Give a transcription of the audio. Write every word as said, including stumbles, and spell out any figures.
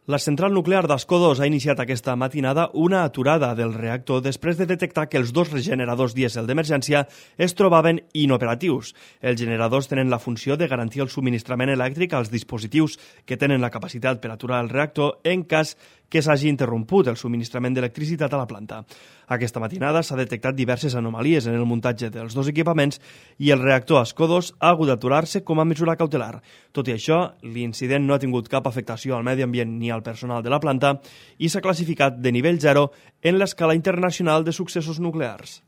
La central nuclear d'Ascó dos ha iniciat aquesta matinada una aturada del reactor després de detectar que els dos generadors dièsel d'emergència es trobaven inoperatius. Els generadors tenen la funció de garantir el subministrament elèctric als dispositius que tenen la capacitat per aturar el reactor en cas que s'hagi interromput el subministrament d'electricitat a la planta. Aquesta matinada s'ha detectat diverses anomalies en el muntatge dels dos equipaments i el reactor Ascó dos ha hagut d'aturar-se com a mesura cautelar. Tot i això, l'incident no ha tingut cap afectació al medi ambient ni al personal de la planta i s'ha classificat de nivell zero en l'escala internacional de successos nuclears.